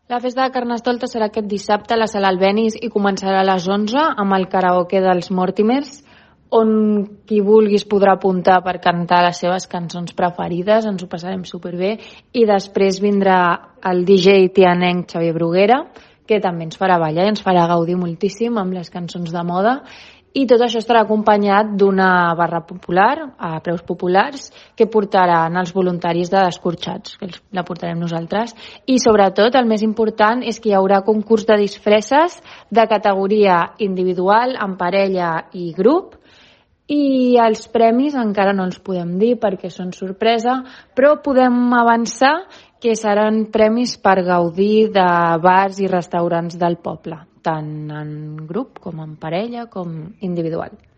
La festa de Carnestoltes serà aquest dissabte a la Sala Albéniz i començarà a les 11 amb el karaoke dels Mortimers, on qui vulguis podrà apuntar per cantar les seves cançons preferides, ens ho passarem superbé, i després vindrà el DJ tianenc Xavier Bruguera, que també ens farà ballar i ens farà gaudir moltíssim amb les cançons de moda, i tot això estarà acompanyat d'una barra popular, a preus populars, que portaran els voluntaris de Descorxats, que la portarem nosaltres, i sobretot el més important és que hi haurà concurs de disfresses de categoria individual, en parella i grup, i els premis encara no els podem dir perquè són sorpresa, però podem avançar que seran premis per gaudir de bars i restaurants del poble, tant en grup com en parella com individual.